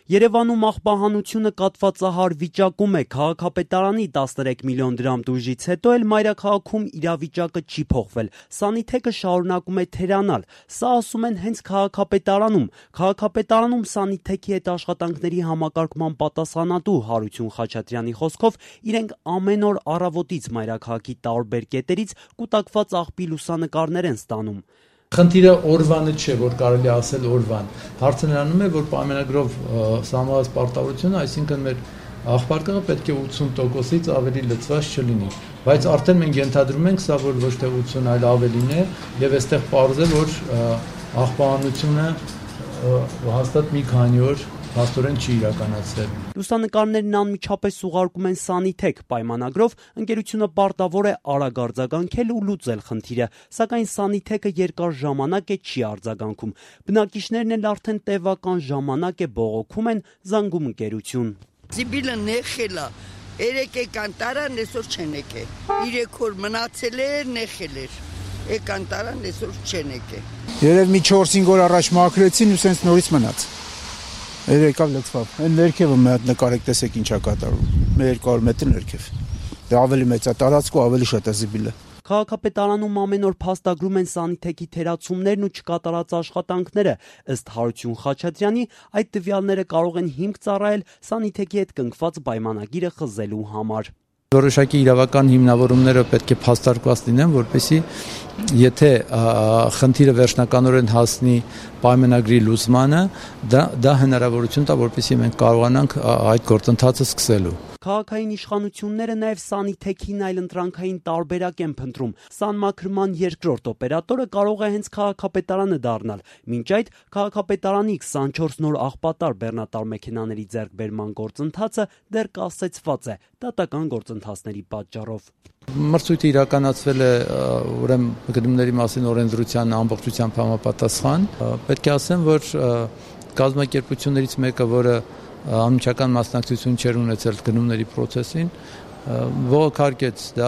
Երևանում աղբահանությունը կատվածահար վիճակում է, քաղաքապետարանի 13 միլիոն դրամ տուժից հետո էլ մայրաքաղաքում իրավիճակը չի փոխվել, սանիթեքը շարունակում է թերանալ, սա ասում են հենց քաղաքապետարանում, քաղաքապետարանում սանիթեքի հետ աշխատանքների համակարգման պատասխանատու Հարություն Խաչատրյանի խոսքով իրենք ամեն օր առավոտից մայրաքաղաքի տարբեր կետերից կուտակված աղբի լուսանկարներ են ստանում։ Խնդիրը օրվանը չէ, որ կարելի ասել օրվան։ Հարցը նրանում է, որ պայմանագրով սահմանված պարտավորությունը, այսինքն մեր աղբարկղը պետք է 80%-ից ավելի լցված չլինի, բայց արդեն մենք ենթադրում ենք սա, որ ոչ թե 80, այլ ավելին է, եւ այստեղ պարզ է, որ աղբահանությունը հաստատ մի քանի օր հաստորեն չի իրականացել։ Լուսանկարներն անմիջապես ուղարկում են սանիթեք պայմանագրով, ընկերությունը պարտավոր է արագ արձագանքել ու լուծել խնդիրը, սակայն սանիթեքը երկար ժամանակ է չի արձագանքում։ Բնակիչներն էլ արդեն տևական ժամանակ է բողոքում են, զանգում ընկերություն։ Զիբիլը նեխել է, 3 եկան տարան, այսօր չեն եկել, 3 օր մնացել էր, նեխել էր, եկան տարան, այսօր չեն եկել։ Երև մի 4-5 օր առաջ մաքրեցին ու սենց նորից մնաց։ Եկավ լցվավ, այն ներքևը մի հատ նկարեք տեսեք ինչա կատարում, 200 մետր ներքև, դա ավելի մեծ է տարածք ու ավելի շատ է զիբիլը։ Քաղաքապետարանում ամեն օր փաստագրում են սանիթեքի թերացումներն ու չկատարած աշխատանքները, ըստ Հարություն Խաչատրյանի, այդ տվյալները կարող են հիմք ծառայել սանիթեքի հետ կնքված պայմանագիրը խզելու համար։ Որոշակի իրավական հիմնավորումները պետք է փաստարկված լինեն, որպեսզի եթե խնդիրը վերջնականորեն հասնի պայմանագրի լուծմանը, դա հնարավորություն տա, որպեսզի մենք կարողանանք այդ գործընթացը սկսելու։ Քաղաքային իշխանությունները նաև սանիթեքին այլընտրանքային տարբերակ են փնտրում։ Սանմաքրման երկրորդ օպերատորը կարող է հենց քաղաքապետարանը դառնալ։ Մինչ այդ քաղաքապետարանի 24 նոր աղբատար բեռնատար մեքենաների ձեռքբերման գործընթացը դեռ կասեցված է դատական գործընթացների պատճառով։ Մրցույթը իրականացվել է ուրեմն գնումների մասին օրենսդրության ամբողջությամբ համապատասխան։ Պետք է ասեմ, որ կազմակերպություններից մեկը, որը անմիջական մասնակցություն չեր ունեցել գնումների process-ին, ողոքարկեց դա։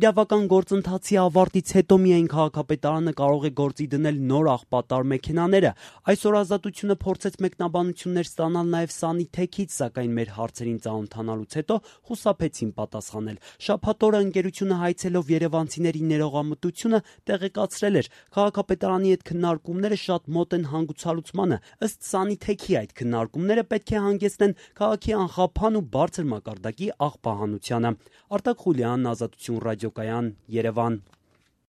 Իրավական գործընթացի ավարտից հետո միայն քաղաքապետարանը կարող է գործի դնել նոր աղբատար մեքենաները։ Այսօր Ազատությունը փորձեց մեկնաբանություններ ստանալ նաև սանիթեքից, սակայն մեր հարցերին ծանոթանալուց հետո խուսափեցին պատասխանել։ Շաբաթ օրը ընկերությունը հայցելով երևանցիների ներողամտությունը տեղեկացրել էր, քաղաքապետարանի հետ քննարկումները շատ մոտ են հանգուցալուծմանը։ Ըստ սանիթեքի այդ քննարկումները պետք է հանգեցնեն քաղաքի անխափան ու բարձր մակարդակի աղբահանությանը։ Արտակ Խուլյան, Ազատություն ռադիոկայան, Երևան։